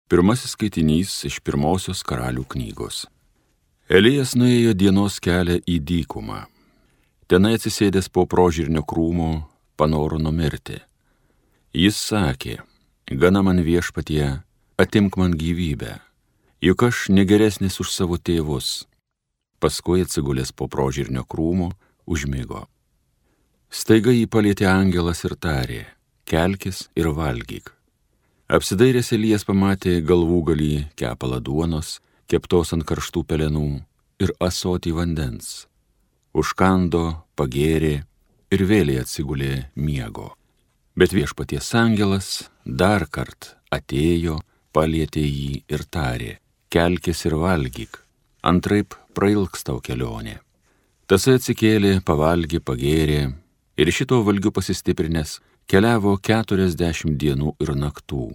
Pirmasis skaitinys iš pirmosios Karalių knygos. Elijas nuėjo dienos kelią į dykumą. Tenai atsisėdęs po prožirnio krūmo panoro numirti. Jis sakė: gana man viešpatie, atimk man gyvybę, juk aš negeresnis už savo tėvus. Paskui atsigulęs po prožirnio krūmo užmigo. Staiga jį palietė angelas ir tarė: kelkis ir valgyk. Apsidairęs Elijas pamatė galvūgalį kepalą duonos, keptos ant karštų pelenų, ir ąsotį vandens. Užkando, pagėrė ir vėliai atsigulė miego. Bet viešpaties angelas dar kart atėjo, palietė jį ir tarė: kelkis ir valgyk, antraip prailgs tau kelionė. Tasai atsikėlė, pavalgė, pagėrė ir šito valgiu pasistiprinęs keliavo 40 dienų ir naktų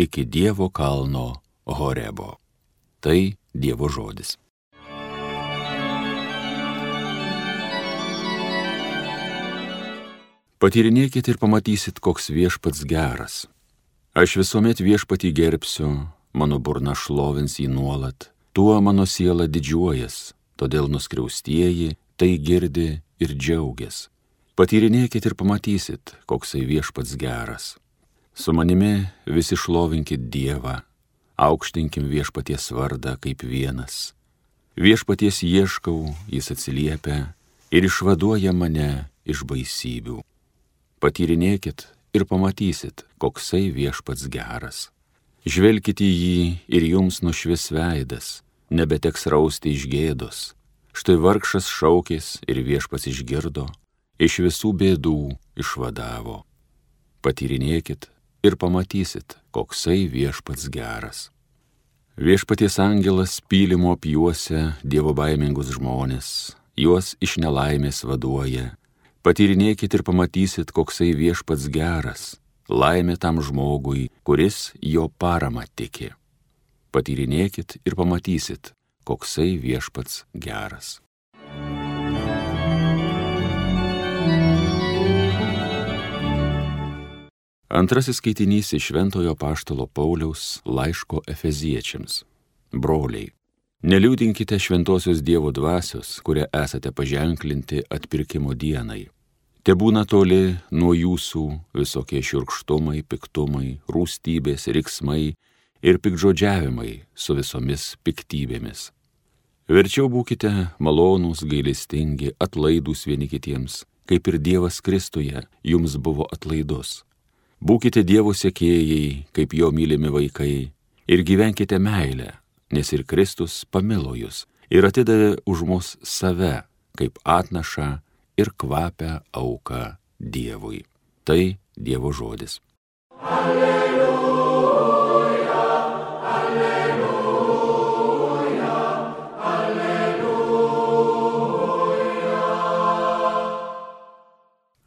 iki Dievo kalno Horebo. Tai Dievo žodis. Patyrinėkit ir pamatysit, koks viešpats geras. Aš visuomet viešpatį gerbsiu, mano burna šlovins jį nuolat, tuo mano siela didžiuojas, todėl nuskriaustieji tai girdi ir džiaugias. Patyrinėkit ir pamatysit, koksai viešpats geras. Su manimi visi šlovinkit Dievą, aukštinkim viešpaties vardą kaip vienas. Viešpaties ieškau, jis atsiliepia ir išvaduoja mane iš baisybių. Patyrinėkit ir pamatysit, koksai viešpats geras. Žvelkit į jį ir jums nušvis veidas, nebeteks rausti iš gėdos. Štai vargšas šaukės ir viešpats išgirdo, iš visų bėdų išvadavo. Patyrinėkit ir pamatysit, koksai viešpats geras. Viešpaties angelas pylimo apjuosia dievobaimingus žmones, juos iš nelaimės vaduoja. Patyrinėkit ir pamatysit, koksai viešpats geras, laimė tam žmogui, kuris jo paramą tiki. Patyrinėkit ir pamatysit, koksai viešpats geras. Antrasis skaitinys iš Šventojo apaštalo Pauliaus laiško Efeziečiams. Broliai, neliūdinkite šventosios Dievo dvasios, kurią esate paženklinti atpirkimo dienai. Tebūna toli nuo jūsų visokie šiurkštumai, piktumai, rūstybės, riksmai ir piktžodžiavimai su visomis piktybėmis. Verčiau būkite malonūs, gailestingi, atlaidūs vieni kitiems, kaip ir Dievas Kristuje jums buvo atlaidus. Būkite Dievo sekėjai, kaip jo mylimi vaikai, ir gyvenkite meilę, nes ir Kristus pamilo jus ir atidavė už mus save, kaip atnašą ir kvapią auką Dievui. Tai Dievo žodis. Alleluja, alleluja, alleluja.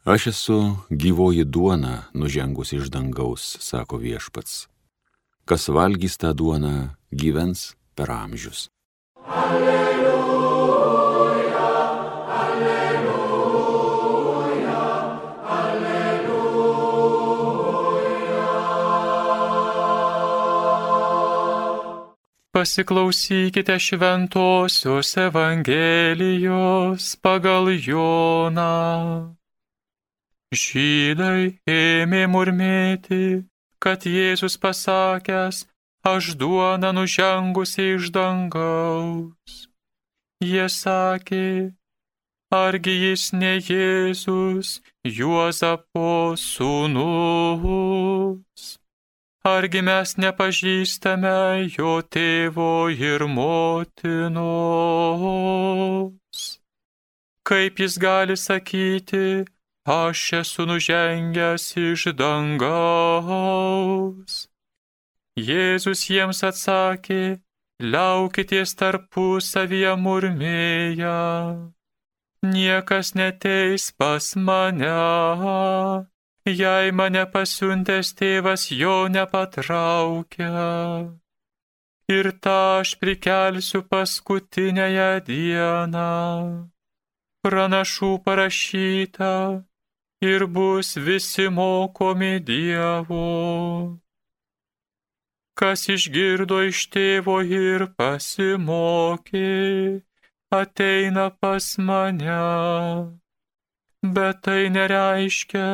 Aš esu gyvoji duona nužengusi iš dangaus, sako viešpats. Kas valgys tą duoną, gyvens per amžius. Alleluja, alleluja, alleluja. Pasiklausykite šventosios Evangelijos pagal Joną. Žydai ėmė murmėti, kad Jėzus pasakęs: aš duona nužengusi iš dangaus. Jie sakė: argi jis ne Jėzus, Juozapo sūnus? Argi mes nepažįstame jo tėvo ir motinos? Kaip jis gali sakyti: aš esu nužengęs iš dangaus? Jėzus jiems atsakė: liaukitės tarpusavyje murmėję. Niekas neteis pas mane, jei mane pasiuntęs tėvas jo nepatraukia. Ir tą aš prikelsiu paskutiniąją dieną. Pranašų parašyta, ir bus visi mokomi Dievo. kas išgirdo iš tėvo ir pasimokė, ateina pas mane. Bet tai nereiškia,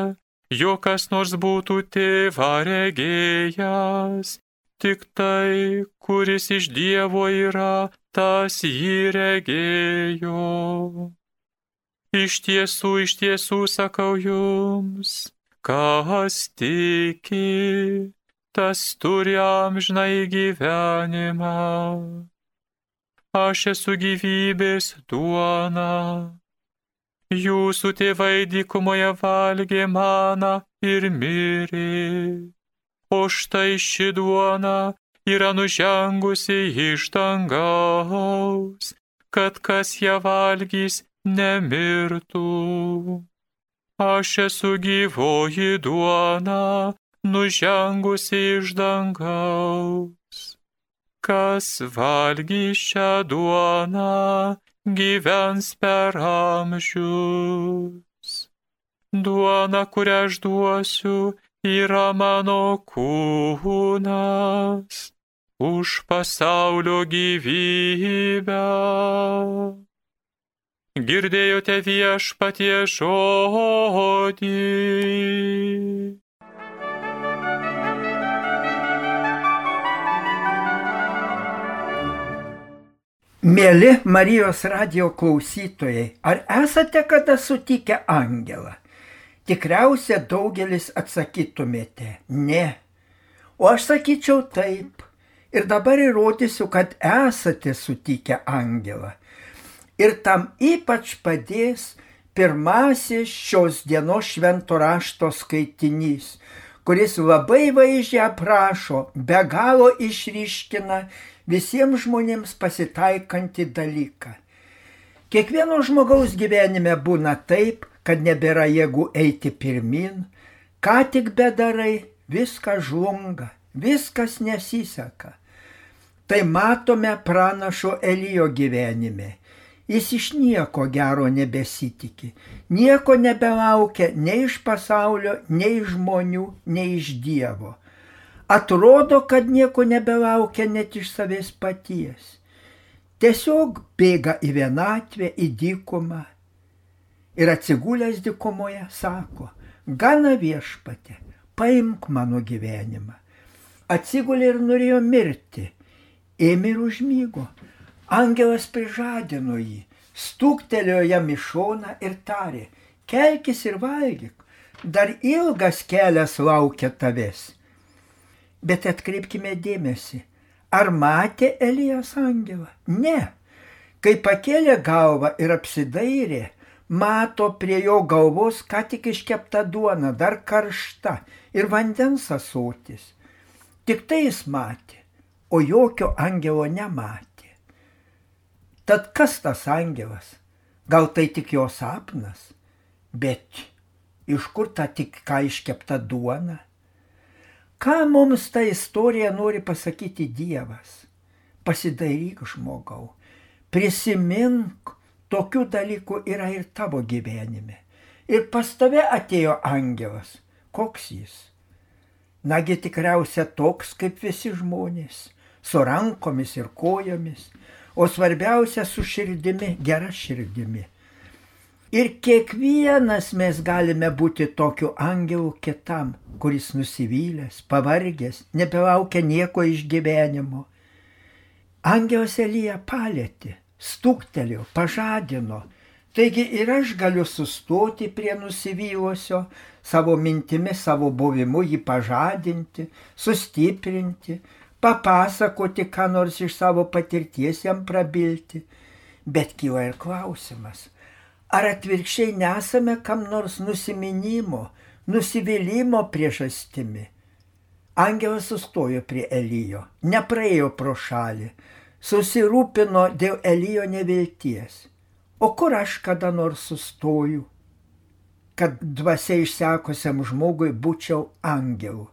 jog kas nors būtų tėvą regėjęs, tik tai, kuris iš Dievo yra, tas jį regėjo. Iš tiesų sakau jums, kas tiki, tas turi amžinąjį gyvenimą. Aš esu gyvybės duona. Jūsų tėvai dykumoje valgė maną ir mirė. O štai ši duona yra nužengusi iš dangaus, kad kas ją valgys nemirtų. Aš esu gyvoji duona, nužengusi iš dangaus. Kas valgys šią duoną, gyvens per amžius. Duona, kurią aš duosiu, yra mano kūnas už pasaulio gyvybę. Girdėjote Viešpaties žodį. Mieli Marijos radijo klausytojai, ar esate kada sutikę angelą? Tikriausia daugelis atsakytumėte, ne. O aš sakyčiau taip. Ir dabar įrodysiu, kad esate sutikę angelą. Ir tam ypač padės pirmasis šios dienos švento rašto skaitinys, kuris labai vaizdžiai aprašo, be galo išryškina visiems žmonėms pasitaikantį dalyką. Kiekvieno žmogaus gyvenime būna taip, kad nebėra jėgų eiti pirmin, ką tik bedarai, viskas žlunga, viskas nesiseka. Tai matome pranašo Elijo gyvenime. Jis iš nieko gero nebesitikė, nieko nebelaukia nei iš pasaulio, nei iš žmonių, nei iš Dievo. Atrodo, kad nieko nebelaukia net iš savęs paties. Tiesiog bėga į vienatvę, į dykumą. Ir atsigulęs dykumoje sako, gana Viešpatie, paimk mano gyvenimą. Atsigulė ir norėjo mirti. Ėmė ir užmygo. Angelas prižadino jį, stuktelėjo jam į šoną ir tarė, kelkis ir valgyk, dar ilgas kelias laukia tavęs. Bet atkreipkime dėmesį, ar matė Elijas angelą? Ne. Kai pakėlė galvą ir apsidairė, mato prie jo galvos ką tik iškepta duona, dar karšta ir vandens ąsotis. Tik tai jis matė, o jokio angelo nematė. Tad kas tas angelas? Gal tai tik jo sapnas? Bet iš kur ta tik ką iškepta duona? Ką mums ta istorija nori pasakyti Dievas? Pasidairyk, žmogau, prisimink, tokių dalykų yra ir tavo gyvenime. Ir pas tave atėjo angelas. Koks jis? Nagi tikriausia toks kaip visi žmonės, su rankomis ir kojomis, o svarbiausia su širdimi, gera širdimi. Ir kiekvienas mes galime būti tokiu angelu kitam, kuris nusivylęs, pavargęs, nebelaukia nieko iš gyvenimo. Angelas Eliją palietė, stuktelėjo, pažadino. Taigi ir aš galiu sustoti prie nusivylusio, savo mintimi, savo buvimu jį pažadinti, sustiprinti, papasakoti, ką nors iš savo patirties jam prabilti. Bet kyla ir klausimas, ar atvirkščiai nesame kam nors nusiminimo, nusivylimo priežastimi? Angelas sustojo prie Elijo, nepraėjo pro šalį, susirūpino dėl Elijo nevilties. O kur aš kada nors sustoju, kad dvasia išsekusiam žmogui būčiau angelu?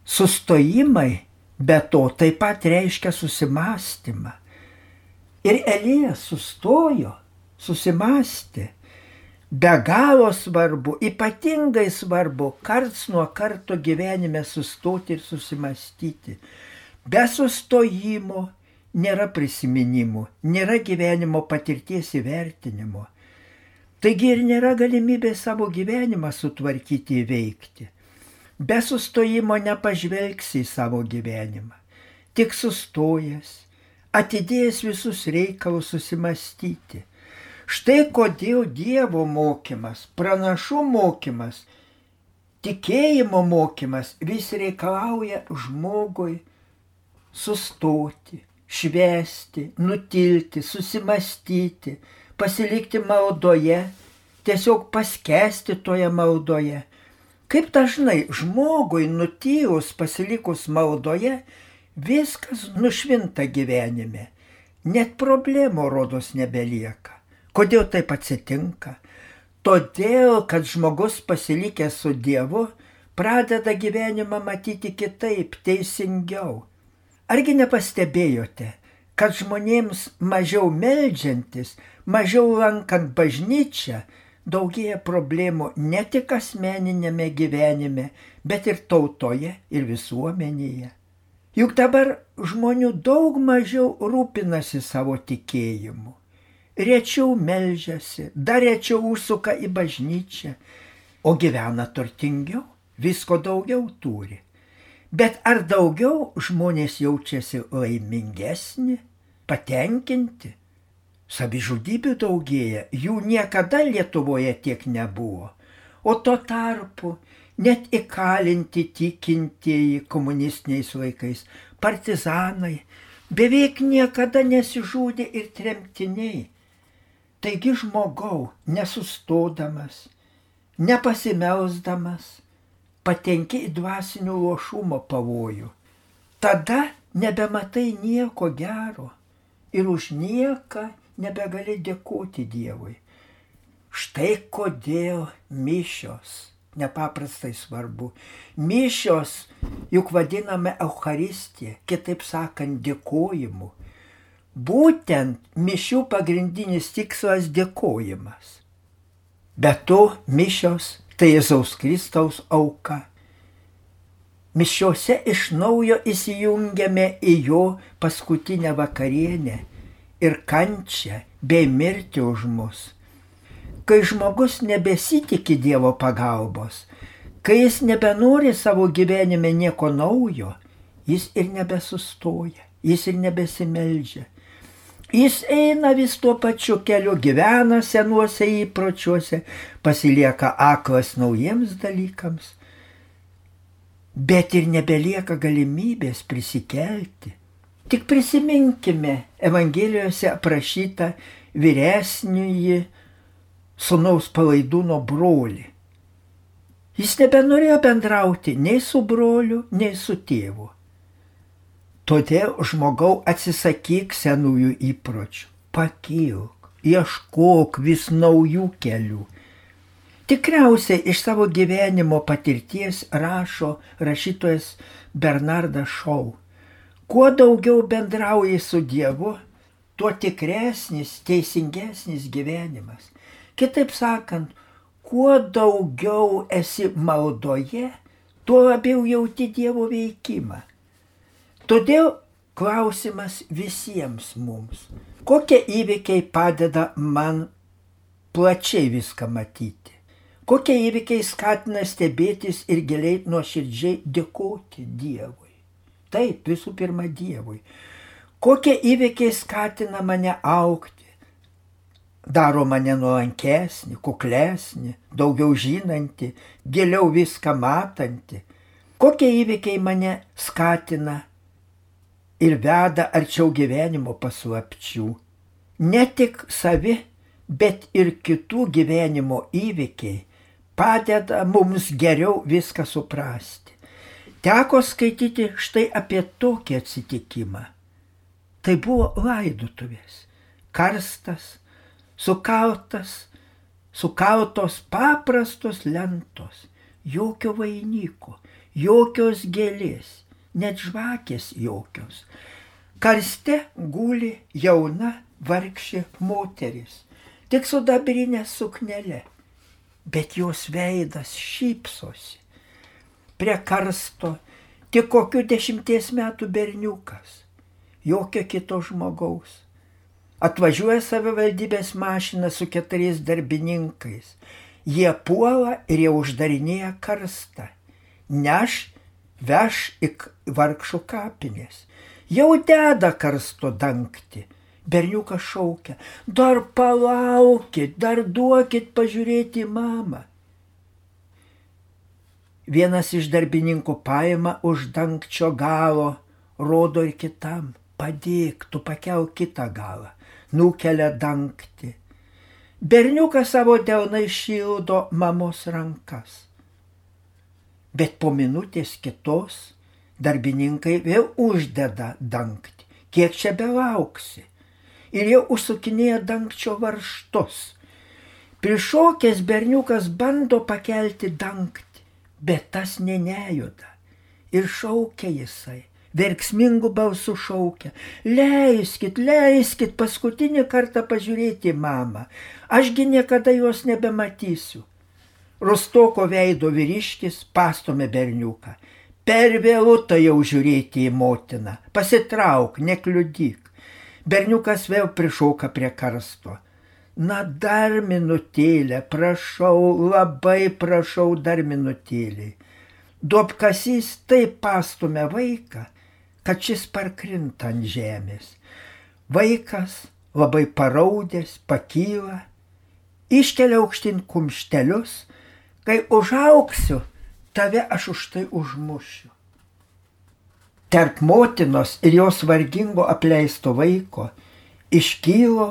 Sustojimai be to taip pat reiškia susimąstymą. Ir Elijas sustojo, susimąstė, be galo svarbu, ypatingai svarbu, karts nuo karto gyvenime sustoti ir susimastyti. Be sustojimo nėra prisiminimų, nėra gyvenimo patirties įvertinimo. Taigi ir nėra galimybė savo gyvenimą sutvarkyti, įveikti. Be sustojimo nepažvelgsi į savo gyvenimą. Tik sustojęs, atidėjęs visus reikalus susimastyti. Štai kodėl Dievo mokymas, pranašų mokymas, tikėjimo mokymas vis reikalauja žmogui sustoti, švęsti, nutilti, susimastyti, pasilikti maldoje, tiesiog paskęsti toje maldoje. Kaip dažnai žmogui nutilus, pasilikus maldoje, viskas nušvinta gyvenime. Net problemų rodos nebelieka. Kodėl taip atsitinka? Todėl, kad žmogus pasilikęs su Dievu pradeda gyvenimą matyti kitaip, teisingiau. Argi nepastebėjote, kad žmonėms mažiau meldžiantis, mažiau lankant bažnyčią, daugėja problemų ne tik asmeninėme gyvenime, bet ir tautoje ir visuomenėje. Juk dabar žmonių daug mažiau rūpinasi savo tikėjimu. Rečiau meldžiasi, dar rečiau užsuka į bažnyčią, o gyvena turtingiau, visko daugiau turi. Bet ar daugiau žmonės jaučiasi laimingesni, patenkinti? Savižudybių daugėja, jų niekada Lietuvoje tiek nebuvo. O tuo tarpu net įkalinti tikintieji komunistiniais laikais, partizanai, beveik niekada nesižudė ir tremtiniai. Taigi žmogau, nesustodamas, nepasimelsdamas, patenki į dvasinio luošumo pavojų. Tada nebematai nieko gero ir už nieką nebegali dėkoti Dievui. Štai kodėl mišios nepaprastai svarbu. Mišios juk vadiname Eucharistiją, kitaip sakant, dėkojimu. Būtent mišių pagrindinis tikslas dėkojimas. Be to, mišios tai Jėzaus Kristaus auka. Mišiose iš naujo įsijungiame į jo paskutinę vakarienę ir kančią bei mirtį už mus. Kai žmogus nebesitikė Dievo pagalbos, kai jis nebenori savo gyvenime nieko naujo, jis ir nebesustoja, jis ir nebesimeldžia. Jis eina vis tuo pačiu keliu, gyvena senuose įpročiuose, pasilieka aklas naujiems dalykams, bet ir nebelieka galimybės prisikelti. Tik prisiminkime Evangelijose aprašytą vyresnįjį sūnaus Palaidūno brolį. Jis nebenorėjo bendrauti nei su broliu, nei su tėvu. Todėl žmogau atsisakyk senųjų įpročių, pakilk, ieškok vis naujų kelių. Tikriausiai iš savo gyvenimo patirties rašo rašytojas Bernardas Šou. Kuo daugiau bendrauji su Dievu, tuo tikresnis, teisingesnis gyvenimas. Kitaip sakant, kuo daugiau esi maldoje, tuo labiau jauti Dievo veikimą. Todėl klausimas visiems mums. Kokie įvykiai padeda man plačiai viską matyti? Kokie įvykiai skatina stebėtis ir giliai nuoširdžiai dėkoti Dievui? Taip, visų pirma Dievui. Kokie įvykiai skatina mane augti? Daro mane nuolankesnį, kuklesnį, daugiau žinantį, giliau viską matantį. Kokie įvykiai mane skatina ir veda arčiau gyvenimo paslapčių. Ne tik savi, bet ir kitų gyvenimo įvykiai padeda mums geriau viską suprasti. Teko skaityti štai apie tokį atsitikimą. Tai buvo laidotuvės. Karstas, sukautos paprastos lentos, jokio vainiko, jokios gėlės. Net žvakės jokios. Karste guli jauna vargšė moteris, tik su dabrinė suknele, bet jos veidas šypsosi. Prie karsto tik kokių 10 metų berniukas, jokio kito žmogaus. Atvažiuoja savivaldybės mašina su 4 darbininkais. Jie puola ir jie uždarinėja karstą. Veš į vargšų kapinės. Jau deda karsto dangtį. Berniukas šaukia, dar palaukit, dar duokit pažiūrėti į mamą. Vienas iš darbininkų paima už dangčio galo, rodo ir kitam, padėk, tu pakelk kitą galą, nukelia dangtį. Berniukas savo delnai šildo mamos rankas. Bet po minutės kitos darbininkai vėl uždeda dangtį. Kiek čia belauksi? Ir jau užsukinėja dangčio varžtus. Prišokęs berniukas bando pakelti dangtį, bet tas nejuda. Ir šaukia jisai, verksmingų balsų šaukia. Leiskit, paskutinį kartą pažiūrėti mamą. Ašgi niekada jos nebematysiu. Rustoko veido vyriškis pastumė berniuką. Per vėlu tai jau žiūrėti į motiną. Pasitrauk, nekliudyk. Berniukas vėl prišoka prie karsto. Na, dar minutėlę, prašau, labai prašau, dar minutėlį. Duobkasys taip pastumė vaiką, kad šis parkrinta ant žemės. Vaikas, labai paraudęs, pakyla, iškelia aukštyn kumštelius, kai užaugsiu, tave aš už tai užmušiu. Tarp motinos ir jos vargingo apleisto vaiko iškylo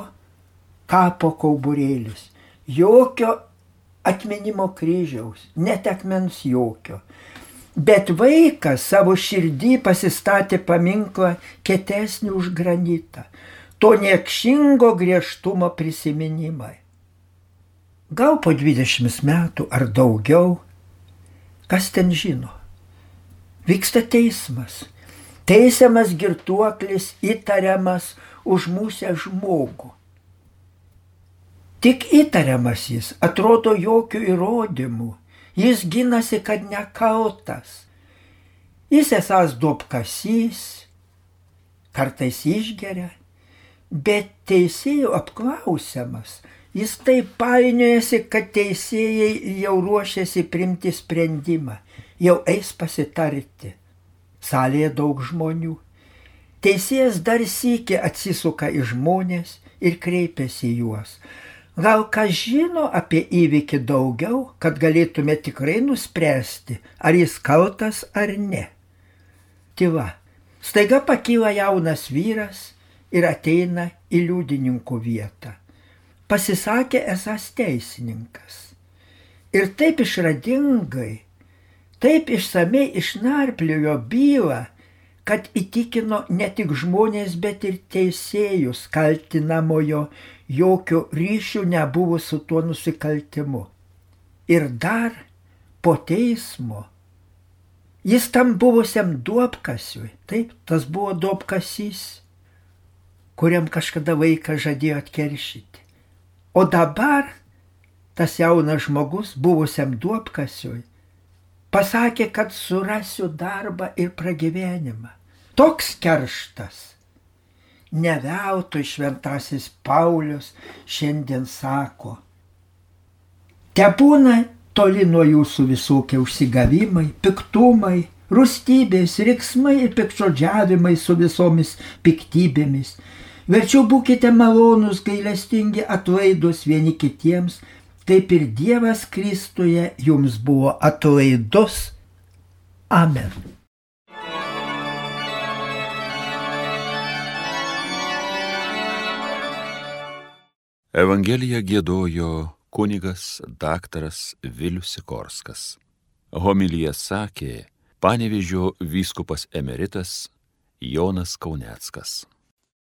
kapo kauburėlis. Jokio atminimo kryžiaus, net akmens jokio. Bet vaikas savo širdį pasistatė paminklą kietesnį už granitą. To niekšingo griežtumo prisiminimai. Gal po 20 metų ar daugiau, kas ten žino, vyksta teismas. Teisiamas girtuoklis įtariamas užmusę žmogų. Tik įtariamas jis, atrodo jokių įrodymų. Jis ginasi, kad nekaltas. Jis esąs duobkasys, kartais išgeria, bet teisėjų apklausiamas. Jis taip painiojasi, kad teisėjai jau ruošiasi priimti sprendimą, jau eis pasitarti. Salėje daug žmonių. Teisėjas dar sykį atsisuka į žmonės ir kreipiasi į juos. Gal kas žino apie įvykį daugiau, kad galėtume tikrai nuspręsti, ar jis kaltas ar ne. Tyla. Staiga pakyla jaunas vyras ir ateina į liudininkų vietą. Pasisakė esąs teisininkas. Ir taip išradingai, taip išsamei išnarpliojo bylą, kad įtikino ne tik žmonės, bet ir teisėjus kaltinamojo jokio ryšių nebuvo su tuo nusikaltimu. Ir dar po teismo jis tam buvusiam duobkasiui, taip, tas buvo duobkasys, kuriam kažkada vaikas žadėjo atkeršyti. O dabar tas jaunas žmogus buvusiam duobkasiui pasakė, kad surasiu darbą ir pragyvenimą. Toks kerštas. Ne veltui šventasis Paulius šiandien sako: tebūna toli nuo jūsų visokie užsigavimai, piktumai, rūstybės, riksmai ir piktžodžiavimai su visomis piktybėmis. Verčiau būkite malonūs, gailestingi, atlaidūs vieni kitiems, kaip ir Dievas Kristuje jums buvo atlaidus. Amen. Evangeliją giedojo kunigas daktaras Vilius Sikorskas. Homiliją sakė Panevėžio vyskupas emeritas Jonas Kauneckas.